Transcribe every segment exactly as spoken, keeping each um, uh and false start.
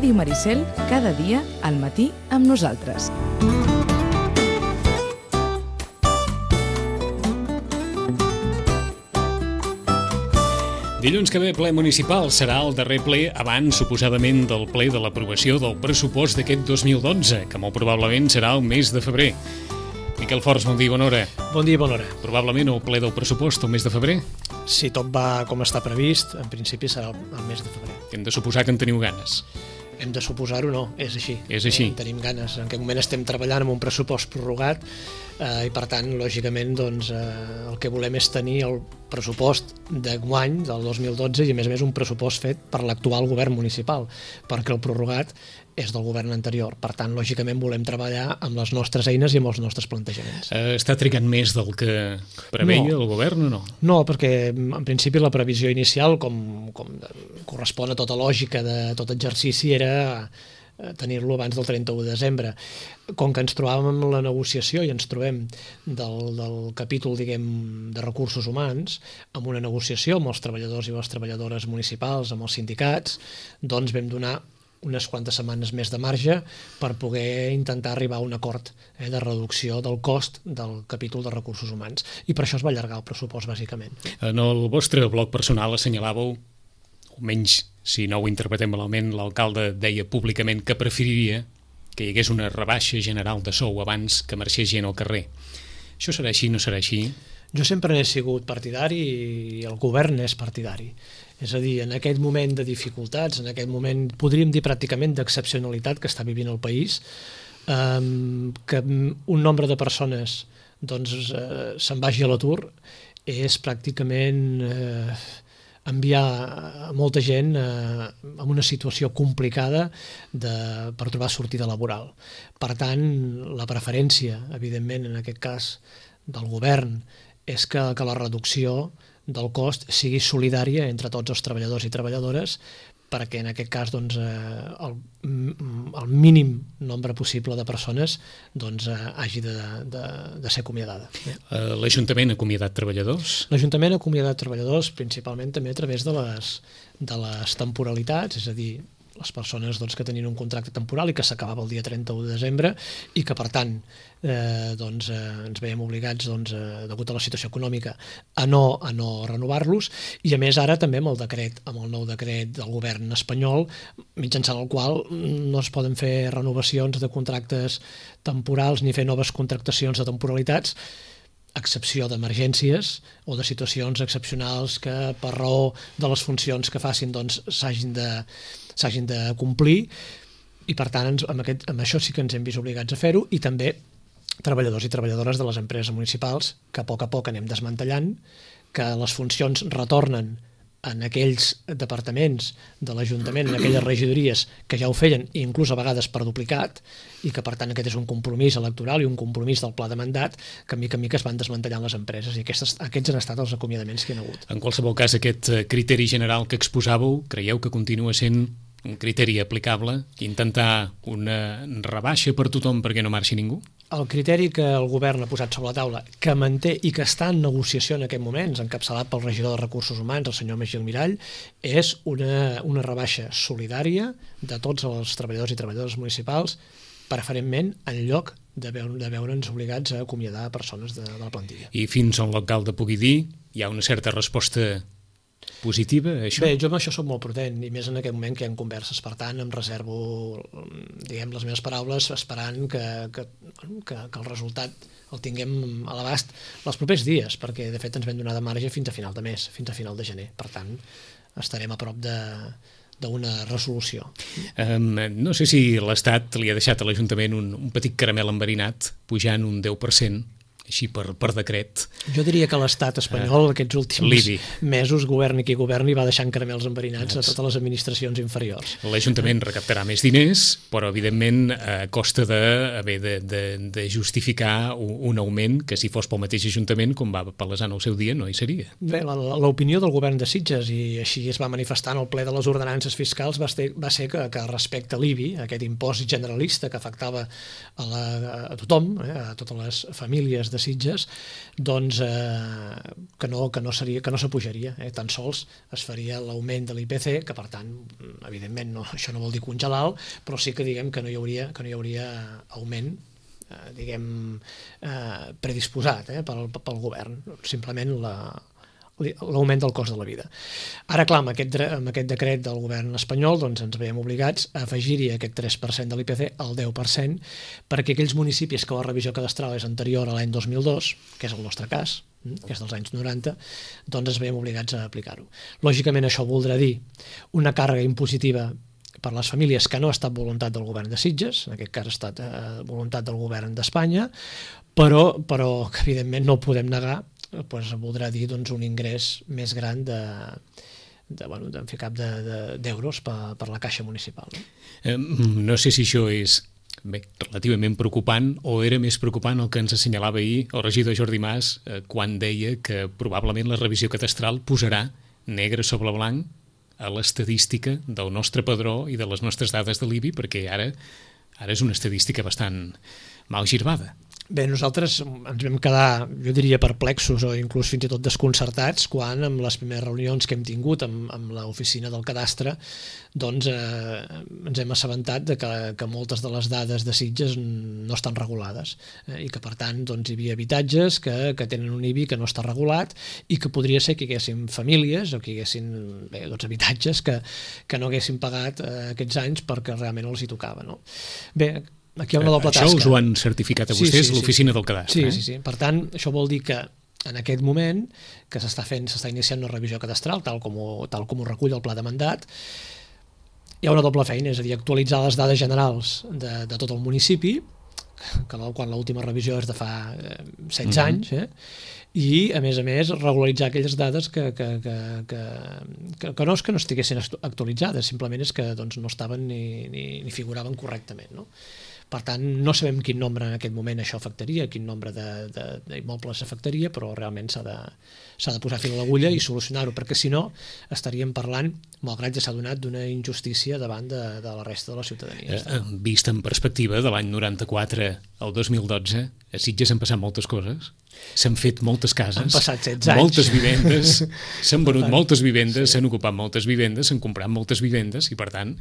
Ràdio Maricel, cada dia al matí amb nosaltres. Dilluns que ve ple municipal serà el darrer ple abans, suposadament, del ple de l'aprovació del pressupost d'aquest dos mil dotze, que molt probablement serà el mes de febrer. Miquel Forns, bon dia i bona hora. Bon dia i bona hora. Probablement el ple del pressupost el mes de febrer? Si tot va com està previst, en principi serà el mes de febrer. Hem de suposar que en teniu ganes. Hem de suposar-ho, no, és així. És així. En tenim ganes. En aquest moment estem treballant amb un pressupost prorrogat eh, i, per tant, lògicament, doncs, eh, el que volem és tenir el pressupost d'enguany, del dos mil dotze, i, a més a més, un pressupost fet per l'actual govern municipal, perquè el prorrogat és del govern anterior. Per tant, lògicament, volem treballar amb les nostres eines i amb els nostres plantejaments. Eh, està trigant més del que preveia no. el govern o no? No, perquè, en principi, la previsió inicial, com, com correspon a tota lògica de tot exercici, era tenir-lo abans del trenta-u de desembre. Com que ens trobàvem amb la negociació i ens trobem del, del capítol, diguem, de recursos humans, amb una negociació amb els treballadors i les treballadores municipals, amb els sindicats, doncs vam donar unes quantes setmanes més de marge per poder intentar arribar a un acord eh, de reducció del cost del capítol de recursos humans. I per això es va allargar el pressupost, bàsicament. En el vostre blog personal assenyalàveu, almenys si no ho interpretem malament, l'alcalde deia públicament que preferiria que hi hagués una rebaixa general de sou abans que marxés gent al carrer. Això serà així, no serà així? Jo sempre n'he sigut partidari i el govern és partidari. És a dir, en aquest moment de dificultats, en aquest moment, podríem dir pràcticament d'excepcionalitat que està vivint el país, eh, que un nombre de persones doncs, eh, se'n vagi a l'atur és pràcticament eh, enviar molta gent eh, en una situació complicada de, per trobar sortida laboral. Per tant, la preferència, evidentment, en aquest cas del govern, és que, que la reducció del cost sigui solidària entre tots els treballadors i treballadores perquè en aquest cas doncs, el, el mínim nombre possible de persones doncs, hagi de, de, de ser acomiadada. L'Ajuntament ha acomiadat treballadors? L'Ajuntament ha acomiadat treballadors principalment també a través de les, de les temporalitats, és a dir, les persones doncs, que tenien un contracte temporal i que s'acabava el dia trenta-u de desembre i que, per tant, eh, doncs, eh, ens veiem obligats, doncs, eh, degut a la situació econòmica, a no, a no renovar-los. I, a més, ara també amb el decret, amb el nou decret del govern espanyol, mitjançant el qual no es poden fer renovacions de contractes temporals ni fer noves contractacions de temporalitats, a excepció d'emergències o de situacions excepcionals que, per raó de les funcions que facin, doncs, s'hagin de s'hagin de complir i, per tant, ens, amb, aquest, amb això sí que ens hem vist obligats a fer-ho i també treballadors i treballadores de les empreses municipals que a poc a poc anem desmantellant, que les funcions retornen en aquells departaments de l'Ajuntament, en aquelles regidories que ja ho feien, inclús a vegades per duplicat, i que, per tant, aquest és un compromís electoral i un compromís del pla de mandat que, mica en mica, es van desmantellant les empreses, i aquests, aquests han estat els acomiadaments que hi ha hagut. En qualsevol cas, aquest criteri general que exposàveu, creieu que continua sent un criteri aplicable, intentar una rebaixa per tothom perquè no marxi ningú? El criteri que el govern ha posat sobre la taula, que manté i que està en negociació en aquest moment, encapçalat pel regidor de Recursos Humans, el senyor Magí Almirall, és una, una rebaixa solidària de tots els treballadors i treballadores municipals, preferentment en lloc de, veure, de veure'ns obligats a acomiadar persones de, de la plantilla. I fins on l'alcalde pugui dir, hi ha una certa resposta positiva, això? Bé, jo amb això soc molt prudent, i més en aquest moment que hi ha converses, per tant em reservo, diguem, les meves paraules esperant que, que, que, que el resultat el tinguem a l'abast els propers dies, perquè de fet ens vam donar de marge fins a final de mes, fins a final de gener, per tant estarem a prop de d'una resolució. Um, no sé si l'Estat li ha deixat a l'Ajuntament un, un petit caramel enverinat pujant un deu per cent així per, per decret. Jo diria que l'estat espanyol uh, aquests últims Libi. mesos, governi qui governi, va deixant caramels enverinats a totes les administracions inferiors. L'Ajuntament recaptarà més diners, però evidentment a costa d'haver de, de, de justificar un, un augment que si fos pel mateix Ajuntament, com va palesar en el seu dia, no hi seria. Bé, l'opinió del govern de Sitges, i així es va manifestar en el ple de les ordenances fiscals, va ser, va ser que, que respecte a l'I B I, aquest impost generalista que afectava a, la, a tothom, eh, a totes les famílies de de Sitges, doncs eh, que no, que no seria, que no s'apujaria, eh? Tan sols es faria l'augment de l'I P C, que per tant, evidentment, no, això no vol dir congelar-lo, però sí que diguem que no hi hauria, que no hi hauria augment eh, diguem eh, predisposat eh, pel, pel govern, simplement la l'augment del cost de la vida. Ara, clar, amb aquest, amb aquest decret del govern espanyol doncs ens veiem obligats a afegir-hi aquest tres per cent de l'I P C al deu per cent perquè aquells municipis que la revisió cadastral és anterior a l'any dos mil dos, que és el nostre cas, que és dels anys noranta, doncs ens veiem obligats a aplicar-ho. Lògicament això voldrà dir una càrrega impositiva per les famílies que no ha estat voluntat del govern de Sitges, en aquest cas ha estat eh, voluntat del govern d'Espanya, però, però que evidentment no podem negar pues, voldrà dir doncs, un ingrés més gran de, de, bueno, de, cap d'euros de, de, per, per la caixa municipal. No? Eh, no sé si això és bé, relativament preocupant o era més preocupant el que ens assenyalava ahir el regidor Jordi Mas eh, quan deia que probablement la revisió cadastral posarà negre sobre blanc a l'estadística del nostre padró i de les nostres dades de l'I B I, perquè ara, ara és una estadística bastant mal girbada. Bé, nosaltres ens vam quedar, jo diria, perplexos o inclús fins i tot desconcertats quan en les primeres reunions que hem tingut amb, amb l'oficina del cadastre doncs eh, ens hem assabentat de que, que moltes de les dades de Sitges no estan regulades eh, i que per tant doncs, hi havia habitatges que, que tenen un I B I que no està regulat i que podria ser que hi haguessin famílies o que hi haguessin bé, doncs, habitatges que, que no haguessin pagat eh, aquests anys perquè realment els hi tocava. No? Bé, aquí hi ha una doble tasca. Això us ho han certificat a vostès, sí, sí, l'oficina sí. del cadastre. Sí, eh? sí, sí. Per tant, això vol dir que en aquest moment que s'està fent, s'està iniciant una revisió cadastral, tal com, ho, tal com ho recull el pla de mandat, hi ha una doble feina, és a dir, actualitzar les dades generals de, de tot el municipi, que quan l'última revisió és de fa eh, setze mm-hmm. anys, eh? I, a més a més, regularitzar aquelles dades que, que, que, que, que, que no és que no estiguessin actualitzades, simplement és que doncs, no estaven ni, ni, ni figuraven correctament, no? Per tant, no sabem quin nombre en aquest moment això afectaria, quin nombre d'immobles afectaria, però realment s'ha de, s'ha de posar fil a l'agulla i solucionar-ho, perquè si no estaríem parlant, malgrat ja s'ha donat, d'una injustícia davant de, de la resta de la ciutadania. Eh, vist en perspectiva, de l'any noranta-quatre al dos mil dotze, a Sitges han passat moltes coses, s'han fet moltes cases, han passat setze anys, moltes vivendes, s'han venut moltes vivendes, s'han sí. ocupat moltes vivendes, s'han comprat moltes vivendes i, per tant,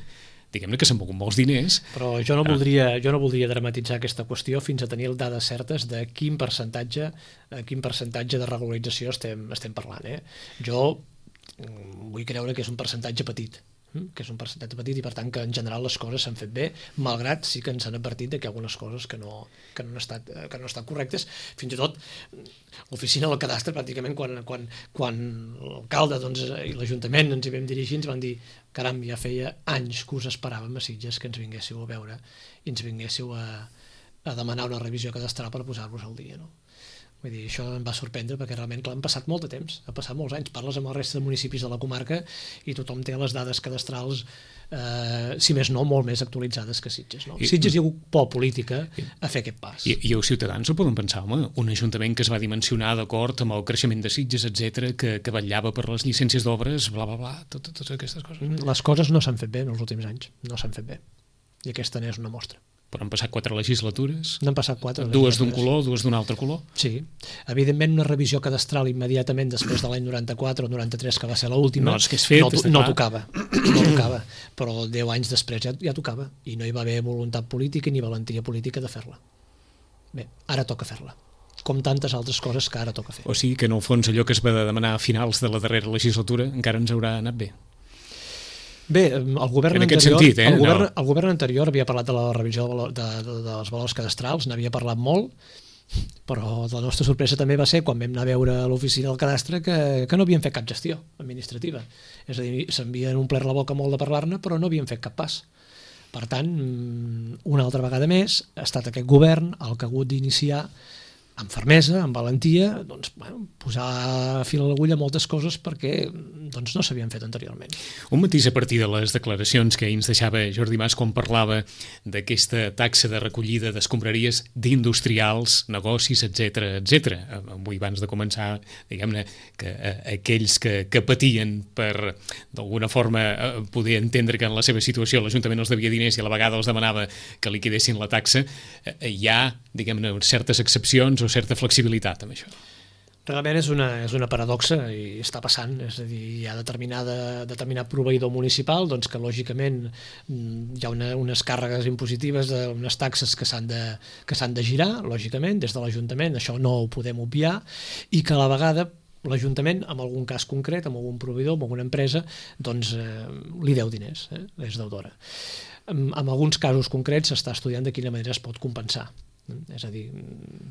diguem-ne que s'han mogut molts diners. Però jo no, voldria, jo no voldria dramatitzar aquesta qüestió fins a tenir dades certes de quin percentatge, quin percentatge de regularització estem, estem parlant. Eh? Jo vull creure que és un percentatge petit, que és un percentatge petit i per tant que en general les coses s'han fet bé, malgrat sí que ens han advertit de que hi ha algunes coses que no, que no, han, estat, que no han estat correctes. Fins i tot l'oficina del cadastre, pràcticament quan, quan, quan l'alcalde doncs, i l'Ajuntament ens hi vam dirigir, ens van dir caram, ja feia anys que us esperàvem a Sitges que ens vinguéssiu a veure i ens vinguéssiu a, a demanar una revisió cadastral per posar-vos al dia, no? Vull dir, això em va sorprendre perquè realment clar, han passat molt de temps, ha passat molts anys, parles amb el resta de municipis de la comarca i tothom té les dades cadastrals eh, si més no, molt més actualitzades que Sitges. No? I, Sitges hi ha hagut por política a fer aquest pas. I, i els ciutadans ho poden pensar, home, un ajuntament que es va dimensionar d'acord amb el creixement de Sitges, etcètera, que, que vetllava per les llicències d'obres, bla, bla, bla, totes, totes aquestes coses. Les coses no s'han fet bé en els últims anys, no s'han fet bé. I aquesta n'és una mostra. Però han passat quatre legislatures, n'han passat quatre dues d'un color, dues d'un altre color. Sí, evidentment una revisió cadastral immediatament després de l'any noranta-quatre o noranta-tres, que va ser l'última, no, és que és fet, no, no tocava, no tocava, però deu anys després ja, ja tocava, i no hi va haver voluntat política ni valentia política de fer-la. Bé, ara toca fer-la, com tantes altres coses que ara toca fer. O sigui que en el fons allò que es va demanar a finals de la darrera legislatura encara ens haurà anat bé. Bé, el govern, anterior, sentit, eh? el, govern, no. el govern anterior havia parlat de la revisió de, de, de, dels valors cadastrals, n'havia parlat molt, però la nostra sorpresa també va ser quan vam anar a veure a l'oficina del cadastre que, que no havien fet cap gestió administrativa. És a dir, s'havien omplert la boca molt de parlar-ne, però no havien fet cap pas. Per tant, una altra vegada més, ha estat aquest govern el que ha hagut d'iniciar amb fermesa, amb valentia, doncs, bueno, posar fil a l'agulla moltes coses perquè doncs, no s'havien fet anteriorment. Un matís a partir de les declaracions que ahir ens deixava Jordi Mas quan parlava d'aquesta taxa de recollida d'escombraries d'industrials, negocis, etcètera, etcètera. Avui, abans de començar, diguem-ne, que eh, aquells que, que patien per, d'alguna forma, eh, poder entendre que en la seva situació l'Ajuntament els devia diners i a la vegada els demanava que liquidessin la taxa, eh, hi ha, diguem-ne, certes excepcions o certa flexibilitat amb això. Realment és una, és una paradoxa i està passant, és a dir, hi ha determinada, determinat proveïdor municipal doncs que lògicament hi ha una, unes càrregues impositives, de, unes taxes que s'han de, que s'han de girar, lògicament, des de l'Ajuntament, això no ho podem obviar, i que a la vegada l'Ajuntament, en algun cas concret, amb algun proveïdor, amb alguna empresa, doncs eh, li deu diners, eh? És deudora. En, en alguns casos concrets s'està estudiant de quina manera es pot compensar. És a dir,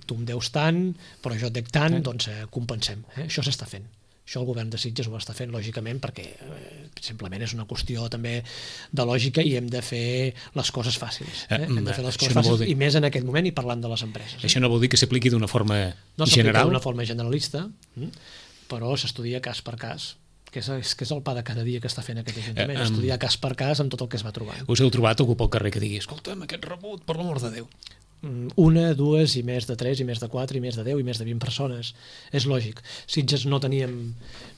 tu em deus tant, però jo et dec tant, doncs eh, compensem. Eh? Això s'està fent. Això el govern de Sitges ho està fent, lògicament, perquè eh, simplement és una qüestió també de lògica i hem de fer les coses fàcils. Eh? Hem de fer les coses fàcils, i més en aquest moment i parlant de les empreses. Això no vol dir que s'apliqui d'una forma no general? No d'una forma generalista, però s'estudia cas per cas, que és, que és el pa de cada dia que està fent aquest Ajuntament, eh, um, estudiar cas per cas amb tot el que es va trobant. Us heu trobat algú pel carrer que digui, escolta'm, aquest rebut, per l'amor de Déu. Una, dues, i més de tres, i més de quatre, i més de deu, i més de vint persones. És lògic. Sitges no teníem,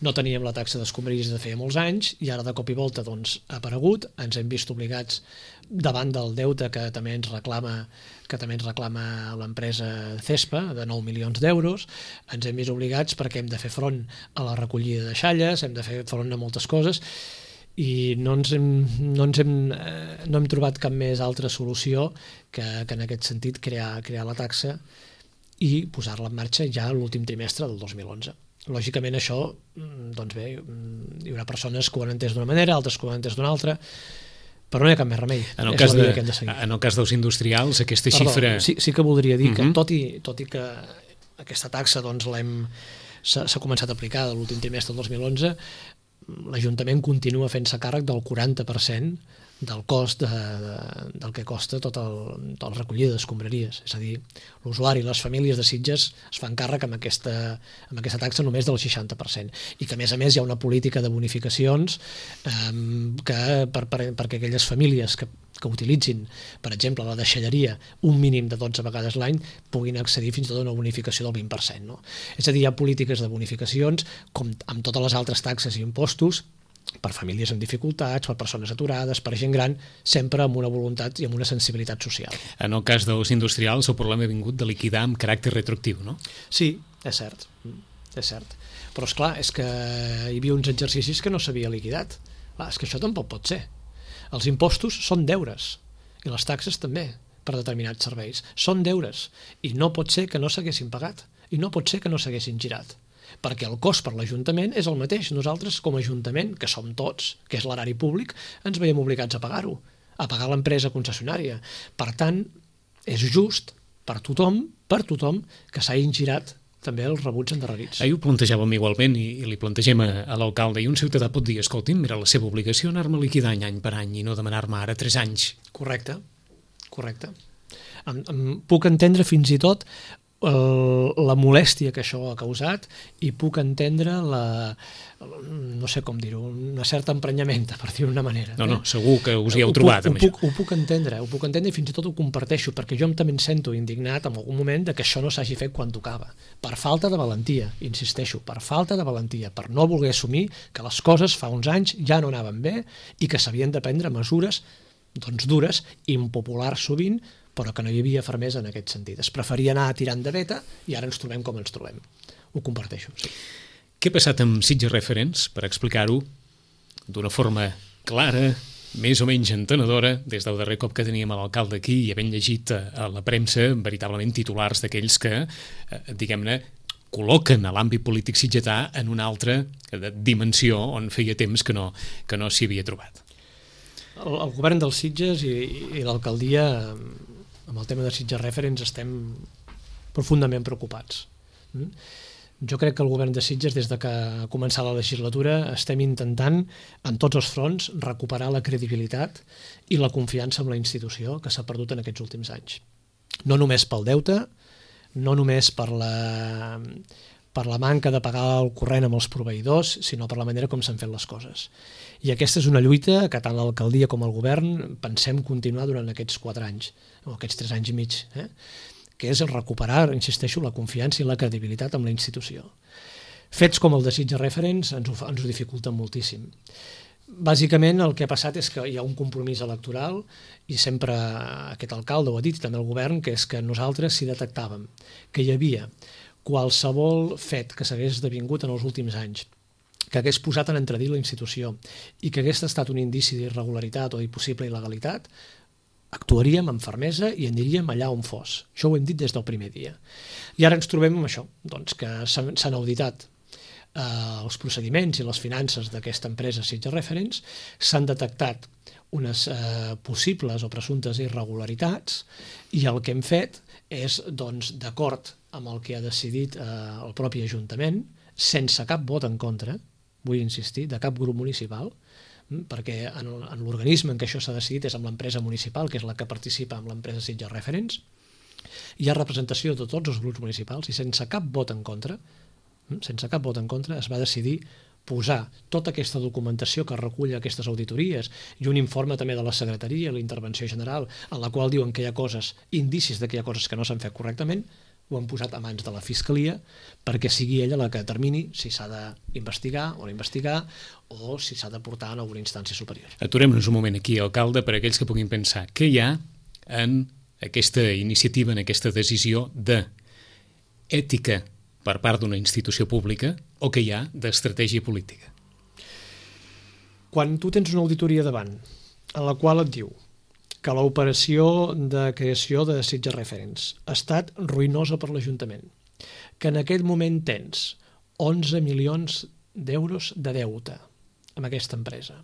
no teníem la taxa d'escombraries de feia molts anys, i ara de cop i volta doncs, ha aparegut, ens hem vist obligats davant del deute que també ens reclama que també ens reclama l'empresa Cespa, de nou milions d'euros, ens hem vist obligats perquè hem de fer front a la recollida de xalles, hem de fer front a moltes coses, i no ens hem, no ens hem, eh, no hem trobat cap més altra solució que, que en aquest sentit crear, crear la taxa i posar-la en marxa ja l'últim trimestre del dos mil onze. Lògicament això, doncs bé, hi haurà persones que ho han entès d'una manera, altres que ho han entès d'una altra, però no hi ha cap més remei. En el, cas de, de en el cas dels industrials, aquesta Perdó, xifra... Sí, sí que voldria dir uh-huh. que tot i, tot i que aquesta taxa doncs, l'hem s'ha començat a aplicar de l'últim trimestre del dos mil onze, l'Ajuntament continua fent-se càrrec del quaranta per cent del cost de, de, del que costa tot el, tot el recollida d'escombraries. És a dir, l'usuari i les famílies de Sitges es fan càrrec amb aquesta, amb aquesta taxa només del seixanta per cent. I que, a més a més, hi ha una política de bonificacions eh, que per, per, perquè aquelles famílies que, que utilitzin, per exemple, la deixalleria un mínim de dotze vegades l'any puguin accedir fins i tot a una bonificació del vint per cent. No? És a dir, hi ha polítiques de bonificacions, com amb totes les altres taxes i impostos, per famílies amb dificultats, per persones aturades, per gent gran, sempre amb una voluntat i amb una sensibilitat social. En el cas dels industrials, el problema ha vingut de liquidar amb caràcter retroactiu, no? Sí, és cert, és cert. Però, esclar, és que hi havia uns exercicis que no s'havia liquidat. Clar, és que això tampoc pot ser. Els impostos són deures, i les taxes també, per determinats serveis. Són deures, i no pot ser que no s'haguessin pagat, i no pot ser que no s'haguessin girat, perquè el cost per l'Ajuntament és el mateix. Nosaltres, com a Ajuntament, que som tots, que és l'erari públic, ens veiem obligats a pagar-ho, a pagar l'empresa concessionària. Per tant, és just per tothom, per tothom, que s'hagin girat també els rebuts endarrerits. Ahir ho plantejàvem igualment i, i li plantegem a, a l'alcalde, i un ciutadà pot dir, escolti'm, era la seva obligació anar-me liquidant any per any i no demanar-me ara tres anys. Correcte, correcte. Em, em puc entendre fins i tot El, la molèstia que això ha causat i puc entendre la, no sé com dir-ho, una certa emprenyamenta, per dir-ho d'una manera. No, no, segur que us hi heu trobat ho amb puc, això. Ho puc entendre, ho puc entendre i fins i tot ho comparteixo, perquè jo també em sento indignat en algun moment de que això no s'hagi fet quan tocava, per falta de valentia, insisteixo, per falta de valentia, per no voler assumir que les coses fa uns anys ja no anaven bé i que s'havien de prendre mesures doncs dures, impopulars sovint, però que no hi havia fermesa en aquest sentit. Es preferia anar tirant de veta i ara ens trobem com ens trobem. Ho comparteixo, sí. Què ha passat amb Sitges Referents, per explicar-ho d'una forma clara, més o menys entenedora, des del darrer cop que teníem l'alcalde aquí i havent llegit a la premsa veritablement titulars d'aquells que, diguem-ne, col·loquen a l'àmbit polític sitgetà en una altra dimensió on feia temps que no, que no s'hi havia trobat. El, el govern dels Sitges i, i l'alcaldia, amb el tema de Sitges Referents, estem profundament preocupats. Jo crec que el govern de Sitges, des de que ha començat la legislatura, estem intentant, en tots els fronts, recuperar la credibilitat i la confiança en la institució que s'ha perdut en aquests últims anys. No només pel deute, no només per la, per la manca de pagar el corrent amb els proveïdors, sinó per la manera com s'han fet les coses. I aquesta és una lluita que tant l'alcaldia com el govern pensem continuar durant aquests quatre anys, o aquests tres anys i mig, eh? que és recuperar, insisteixo, la confiança i la credibilitat amb la institució. Fets com el de Sitges Referents ens ho, ens ho dificulten moltíssim. bàsicament el que ha passat és que hi ha un compromís electoral i sempre aquest alcalde ho ha dit i també el govern, que és que nosaltres si detectàvem que hi havia qualsevol fet que s'hagués esdevingut en els últims anys que hagués posat en entredit la institució i que hagués estat un indici d'irregularitat o de possible il·legalitat, actuaríem amb fermesa i aniríem allà on fos. Això ho hem dit des del primer dia. I ara ens trobem amb això, doncs, que s'han auditat eh, els procediments i les finances d'aquesta empresa Sitges Reference, s'han detectat unes eh, possibles o presumptes irregularitats i el que hem fet és, doncs, d'acord amb el que ha decidit eh, el propi Ajuntament, sense cap vot en contra, vull insistir, de cap grup municipal, perquè en, en l'organisme en què això s'ha decidit és amb l'empresa municipal, que és la que participa amb l'empresa Sitges Reference, hi ha representació de tots els grups municipals i sense cap vot en contra, sense cap vot en contra, es va decidir posar tota aquesta documentació que recull aquestes auditories i un informe també de la secretaria, la intervenció general, en la qual diuen que hi ha coses, indicis de que hi ha coses que no s'han fet correctament, ho han posat a mans de la Fiscalia perquè sigui ella la que determini si s'ha d'investigar o no investigar o si s'ha de portar a alguna instància superior. Aturem-nos un moment aquí, alcalde, per a aquells que puguin pensar què hi ha en aquesta iniciativa, en aquesta decisió d'ètica per part d'una institució pública o què hi ha d'estratègia política. Quan tu tens una auditoria davant en la qual et diu que l'operació de creació de Sitges Reference ha estat ruïnosa per l'Ajuntament, que en aquest moment tens onze milions d'euros de deute amb aquesta empresa,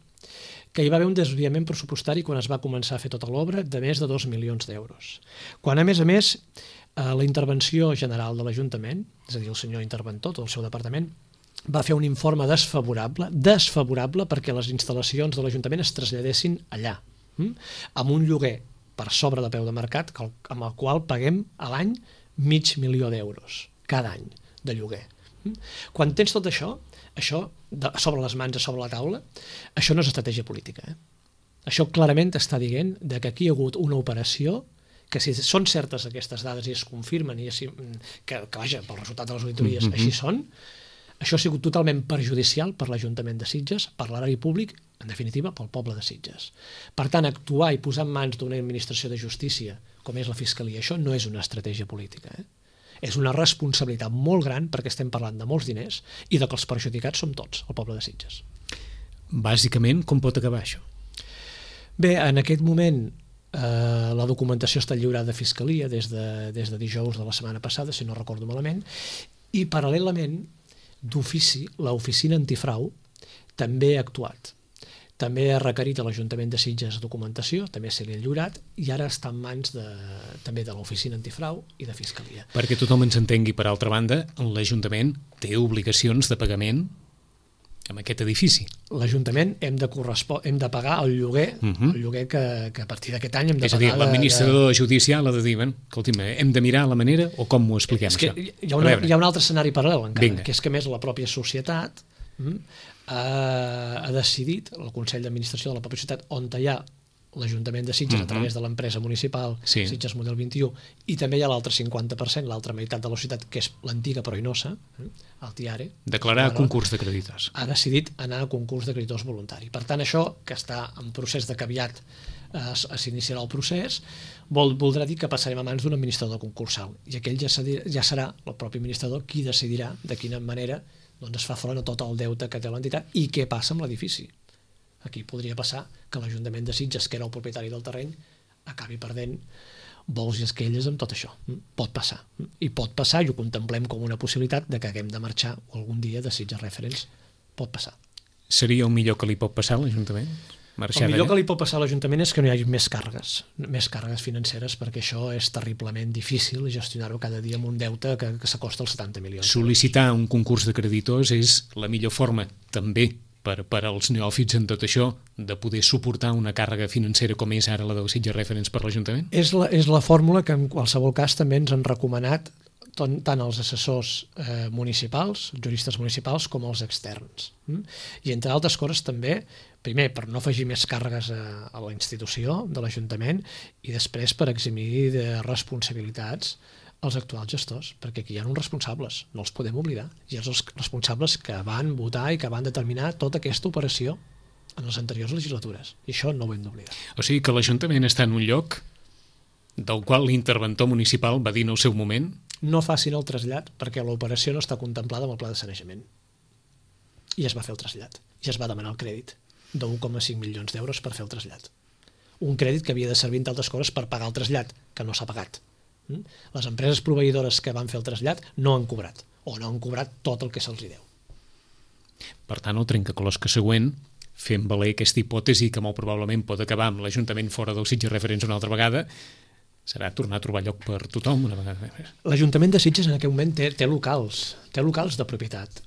que hi va haver un desviament pressupostari quan es va començar a fer tota l'obra de més de dos milions d'euros. Quan, a més a més, la intervenció general de l'Ajuntament, és a dir, el senyor interventor, tot el seu departament, va fer un informe desfavorable, desfavorable perquè les instal·lacions de l'Ajuntament es traslladessin allà, amb un lloguer per sobre de preu de mercat amb el qual paguem a l'any mig milió d'euros cada any de lloguer. Quan tens tot això, això sobre les mans, sobre la taula, això no és estratègia política. Eh? Això clarament està dient que aquí hi ha hagut una operació que si són certes aquestes dades i es confirmen i es, que, que vaja, pel resultat de les auditories mm-hmm. així són, això ha sigut totalment perjudicial per l'Ajuntament de Sitges, per l'erari públic, en definitiva, pel poble de Sitges. Per tant, actuar i posar en mans d'una administració de justícia, com és la Fiscalia, això no és una estratègia política. Eh? És una responsabilitat molt gran perquè estem parlant de molts diners i de que els perjudicats som tots, el poble de Sitges. Bàsicament, com pot acabar això? Bé, en aquest moment eh, la documentació està lliurada a Fiscalia des de, des de dijous de la setmana passada, si no recordo malament, i paral·lelament d'ofici, l'oficina antifrau també ha actuat. També ha requerit a l'Ajuntament de Sitges documentació, també se li ha lliurat, i ara està en mans de, també de l'oficina antifrau i de Fiscalia. Perquè tothom ens entengui, per altra banda, l'Ajuntament té obligacions de pagament amb aquest edifici. L'Ajuntament hem de, hem de pagar el lloguer, uh-huh. el lloguer que, que a partir d'aquest any hem de és pagar... És a dir, l'administrador de... judicial ha de dir, escolti'm, hem de mirar la manera o com ho expliquem, és que això? Hi ha, una, hi ha un altre escenari paral·lel encara, Vinga. Que és que més la pròpia societat hm, ha, ha decidit, el Consell d'Administració de la pròpia societat, on hi ha l'Ajuntament de Sitges uh-huh. a través de l'empresa municipal sí. Sitges Model vint-i-u, i també hi ha l'altre cinquanta per cent, l'altra meitat de la societat, que és l'antiga però inosa, el Tiare. Declarar a concurs de creditors. Ha decidit anar a concurs de creditors voluntari. Per tant, això, que està en procés de que aviat eh, s'iniciarà el procés, vol, voldrà dir que passarem a mans d'un administrador concursal, i aquell ja, ja serà el propi administrador qui decidirà de quina manera doncs, es fa front a tot el deute que té l'entitat i què passa amb l'edifici. Aquí podria passar que l'Ajuntament de Sitges, que era el propietari del terreny, acabi perdent vols i esquelles amb tot això. Pot passar. I pot passar, i ho contemplem com una possibilitat de que haguem de marxar algun dia de Sitges Reference. Pot passar. Seria el millor que li pot passar a l'Ajuntament? El millor que li pot passar a l'Ajuntament és que no hi hagi més càrregues, més càrregues financeres, perquè això és terriblement difícil gestionar-ho cada dia amb un deute que, que s'acosta als setanta milions. Sol·licitar un concurs de creditors és la millor forma, també, per, per als neòfits en tot això, de poder suportar una càrrega financera com és ara la del Sitges Reference per l'Ajuntament? És la, és la fórmula que en qualsevol cas també ens han recomanat tant, tant els assessors eh, municipals, juristes municipals, com els externs. Mm? I entre altres coses també, primer, per no afegir més càrregues a, a la institució de l'Ajuntament, i després per eximir de responsabilitats els actuals gestors, perquè aquí hi ha uns responsables, no els podem oblidar, i els responsables que van votar i que van determinar tota aquesta operació. en les anteriors legislatures, i això no ho hem d'oblidar. O sigui que l'Ajuntament està en un lloc del qual l'interventor municipal va dir en el seu moment no facin el trasllat perquè l'operació no està contemplada amb el pla de sanejament. I es va fer el trasllat. I es va demanar el crèdit d'un coma cinc milions d'euros per fer el trasllat. Un crèdit que havia de servir, entre altres coses, per pagar el trasllat, que no s'ha pagat. Les empreses proveïdores que van fer el trasllat no han cobrat, o no han cobrat tot el que se'ls hi deu. Per tant, el trencaclosca següent, fent valer aquesta hipòtesi que molt probablement pot acabar amb l'Ajuntament fora del Sitges Referents una altra vegada, serà tornar a trobar lloc per tothom una vegada més. L'Ajuntament de Sitges en aquest moment té, té locals, té locals de propietat.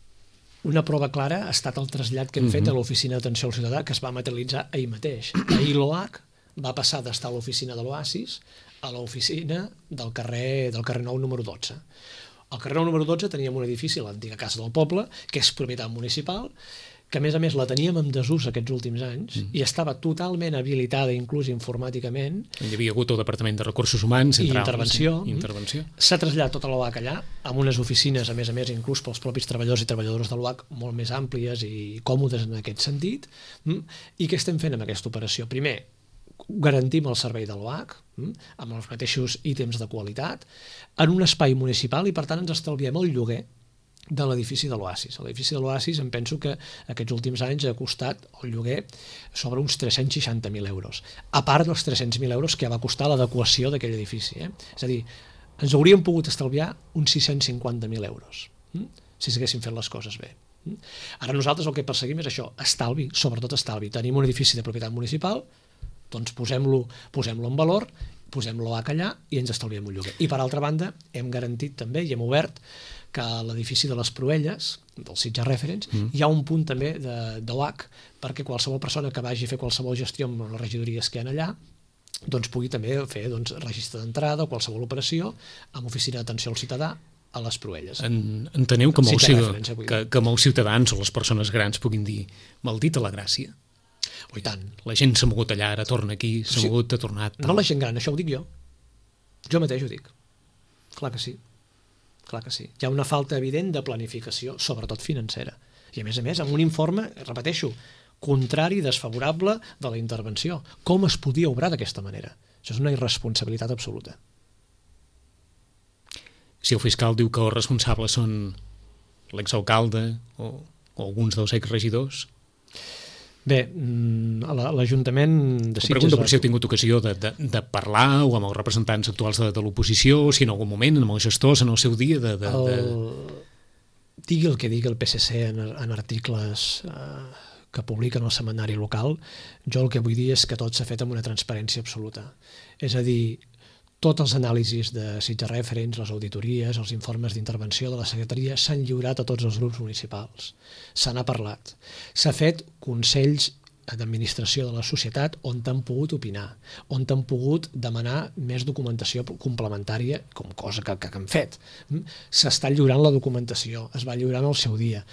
Una prova clara ha estat el trasllat que hem fet a l'oficina d'atenció al ciutadà, que es va materialitzar ahir mateix. Ahir l'O H va passar d'estar a l'oficina de l'Oasis a l'oficina del carrer, del carrer Nou número dotze. Al carrer Nou número dotze teníem un edifici, l'antiga Casa del Poble, que és propietat municipal, que a més a més la teníem en desús aquests últims anys mm. i estava totalment habilitada, inclús informàticament. Hi havia hagut el Departament de Recursos Humans, i intervenció. I intervenció. S'ha traslladat tota l'O H allà, amb unes oficines, a més a més, inclús pels propis treballadors i treballadores de l'O H, molt més àmplies i còmodes en aquest sentit. I què estem fent amb aquesta operació? Primer, garantim el servei de l'O H, amb els mateixos ítems de qualitat, en un espai municipal i, per tant, ens estalviem el lloguer de l'edifici de l'Oasis. L'edifici de l'Oasis em penso que aquests últims anys ha costat el lloguer sobre uns tres-cents seixanta mil euros, a part dels tres-cents mil euros que va costar l'adequació d'aquell edifici. Eh? És a dir, ens hauríem pogut estalviar uns sis-cents cinquanta mil euros, hm? si s'haguessin fet les coses bé. Hm? Ara nosaltres el que perseguim és això, estalvi, sobretot estalvi. Tenim un edifici de propietat municipal, doncs posem-lo posem-lo en valor, posem l'O H allà i ens estalviem un lloguer. I per altra banda, hem garantit també i hem obert que a l'edifici de les Proelles, del Sitges Referents, mm. hi ha un punt també d'O H perquè qualsevol persona que vagi a fer qualsevol gestió amb les regidories que hi ha allà doncs pugui també fer doncs, registre d'entrada o qualsevol operació amb oficina d'atenció al ciutadà a les Proelles. En, enteneu que molts, que, que molts ciutadans o les persones grans puguin dir maldita la gràcia? Oh, i tant. La gent s'ha mogut allà, ara torna aquí, s'ha sí. mogut, ha tornat... Tal. No la gent gran, això ho dic jo. Jo mateix ho dic. Clar que sí. Clar que sí. Hi ha una falta evident de planificació, sobretot financera. I a més a més, amb un informe, repeteixo, contrari, desfavorable de la intervenció. Com es podia obrar d'aquesta manera? Això és una irresponsabilitat absoluta. Si el fiscal diu que els responsables són l'exalcalde o, o alguns dels exregidors... Bé, l'Ajuntament de Sitges... Pregunto per si heu tingut ocasió de, de, de parlar o amb els representants actuals de, de l'oposició, o si en algun moment, amb els gestors, en el seu dia... De, de, de... El... Digui el que digui el P S C en, en articles eh, que publiquen al setmanari local, jo el que vull dir és que tot s'ha fet amb una transparència absoluta. És a dir, tots els anàlisis de Sitges Referents, les auditories, els informes d'intervenció de la secretaria s'han lliurat a tots els grups municipals. Se n'ha parlat. S'ha fet consells d'administració de la societat on t'han pogut opinar, on t'han pogut demanar més documentació complementària, com cosa que, que han fet. S'està lliurant la documentació, es va lliurant al seu dia.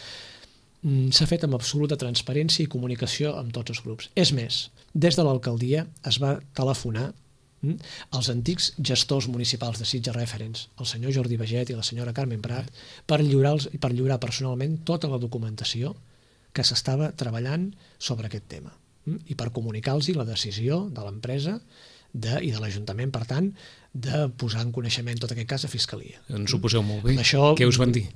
S'ha fet amb absoluta transparència i comunicació amb tots els grups. És més, des de l'alcaldia es va telefonar els antics gestors municipals de Sitges Referents, el senyor Jordi Baget i la senyora Carmen Prat, per lliurar, per lliurar personalment tota la documentació que s'estava treballant sobre aquest tema i per comunicar-los la decisió de l'empresa de, i de l'Ajuntament, per tant, de posar en coneixement tot aquest cas a Fiscalia. Ens ho poseu molt bé. Això, què us van dir?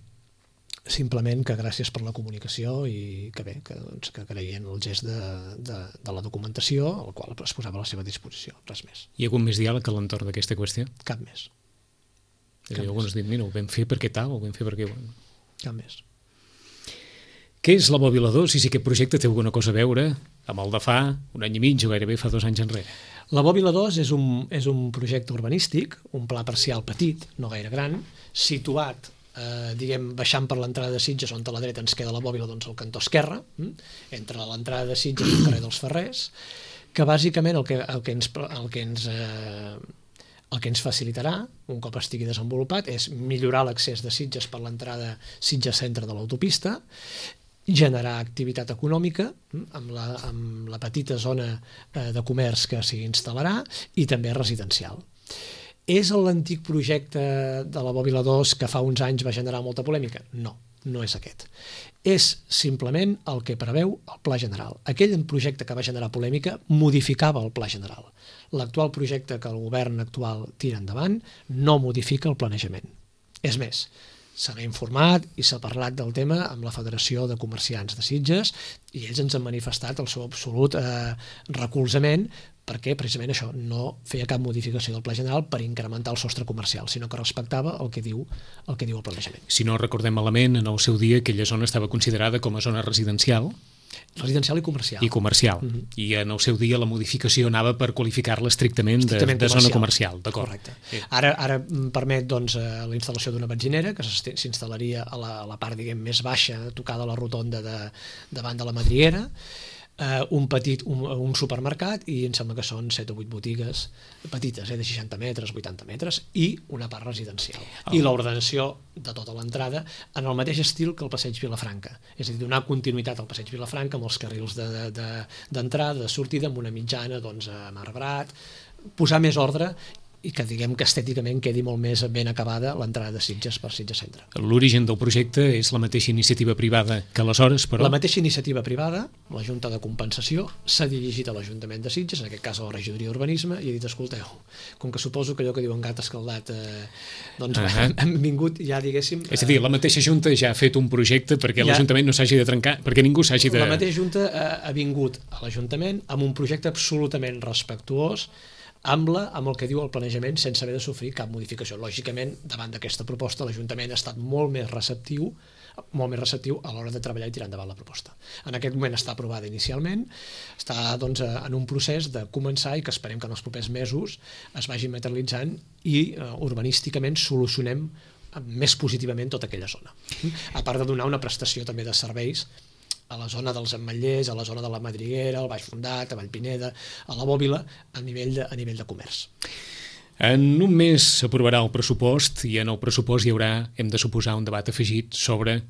Simplement que gràcies per la comunicació i que bé, que, doncs, que creien el gest de, de, de la documentació, el qual es posava a la seva disposició, res més. Hi ha hagut més diàleg a l'entorn d'aquesta qüestió? Cap més. Cap I alguns diuen, mira, ho vam fer perquè tal, ho vam fer perquè... Cap més. Què és la Bòbila dos i si aquest projecte té alguna cosa a veure amb el de fa un any i mig o gairebé fa dos anys enrere? La Bòbila dos és un, és un projecte urbanístic, un pla parcial petit, no gaire gran, situat Eh, diguem, baixant per l'entrada de Sitges, on a la dreta ens queda la Bòbila, doncs al cantó esquerre, hm? entre l'entrada de Sitges i el carrer dels Ferrers, que bàsicament el que, el que, ens, el que, ens, eh, el que ens facilitarà, un cop estigui desenvolupat, és millorar l'accés de Sitges per l'entrada Sitges centre de l'autopista, generar activitat econòmica hm? amb, la, amb la petita zona eh, de comerç que s'hi instal·larà i també residencial. És l'antic projecte de la Bòbila dos que fa uns anys va generar molta polèmica? No, no és aquest. És simplement el que preveu el Pla General. Aquell projecte que va generar polèmica modificava el Pla General. L'actual projecte que el govern actual tira endavant no modifica el planejament. És més, se n'ha informat i s'ha parlat del tema amb la Federació de Comerciants de Sitges i ells ens han manifestat el seu absolut eh, recolzament perquè precisament això no feia cap modificació del Pla General per incrementar el sostre comercial, sinó que respectava el que diu el que diu el planejament. Si no recordem malament, en el seu dia aquella zona estava considerada com a zona residencial, residencial i comercial. I comercial. Mm -hmm. I en el seu dia la modificació anava per qualificar-la estrictament, estrictament de, de zona comercial. Correcte. Sí. Ara, ara permet doncs, la instal·lació d'una benzinera que s'instal·laria a la, a la part diguem, més baixa, tocada a la rotonda de, davant de la Madriguera, Uh, un petit un, un supermercat i em sembla que són set o vuit botigues petites, eh, de seixanta metres, vuitanta metres i una part residencial. Oh. I l'ordenació de tota l'entrada en el mateix estil que el passeig Vilafranca, és a dir, donar continuïtat al passeig Vilafranca amb els carrils d'entrada, de, de, de sortida, amb una mitjana doncs, amb arbrat, posar més ordre i que diguem que estèticament quedi molt més ben acabada l'entrada de Sitges per Sitges Centre. L'origen del projecte és la mateixa iniciativa privada que aleshores, però... La mateixa iniciativa privada, la Junta de Compensació, s'ha dirigit a l'Ajuntament de Sitges, en aquest cas a la Regidoria d'Urbanisme, i ha dit, escolteu, com que suposo que allò que diuen gat escaldat, eh, doncs uh -huh. hem vingut ja, diguéssim... És a dir, la mateixa Junta ja ha fet un projecte perquè ja, l'Ajuntament no s'hagi de trencar, perquè ningú s'hagi de... La mateixa Junta ha, ha vingut a l'Ajuntament amb un projecte absolutament respectuós amb, la, amb el que diu el planejament sense haver de sofrir cap modificació. Lògicament, davant d'aquesta proposta, l'Ajuntament ha estat molt més receptiu molt més receptiu a l'hora de treballar i tirar endavant la proposta. En aquest moment està aprovada inicialment, està doncs, en un procés de començar i que esperem que en els propers mesos es vagi materialitzant i uh, urbanísticament solucionem més positivament tota aquella zona. A part de donar una prestació també de serveis a la zona dels Ametllers, a la zona de la Madriguera, al Baix Fondat, a Vallpineda, a la Bòbila, a nivell de, a nivell de comerç. En un mes s'aprovarà el pressupost i en el pressupost hi haurà, hem de suposar, un debat afegit sobre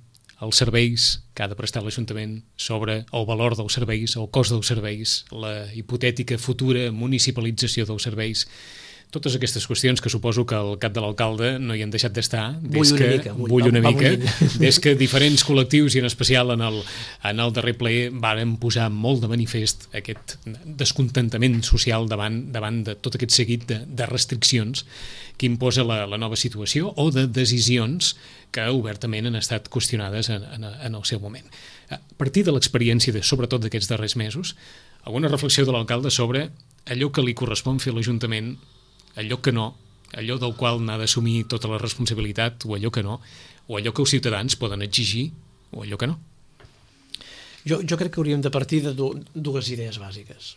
els serveis que ha de prestar l'Ajuntament, sobre el valor dels serveis, el cost dels serveis, la hipotètica futura municipalització dels serveis. Totes aquestes qüestions que suposo que el cap de l'alcalde no hi han deixat d'estar des bull que, una mica, bull, bull una va, mica va des que diferents col·lectius i en especial en el, en el darrer ple varen posar molt de manifest aquest descontentament social davant, davant de tot aquest seguit de, de restriccions que imposa la, la nova situació o de decisions que obertament han estat qüestionades en, en, en el seu moment. A partir de l'experiència de, sobretot d'aquests darrers mesos, alguna reflexió de l'alcalde sobre allò que li correspon fer a l'Ajuntament, allò que no, allò del qual n'ha d'assumir tota la responsabilitat, o allò que no, o allò que els ciutadans poden exigir, o allò que no. Jo, jo crec que hauríem de partir de dues idees bàsiques.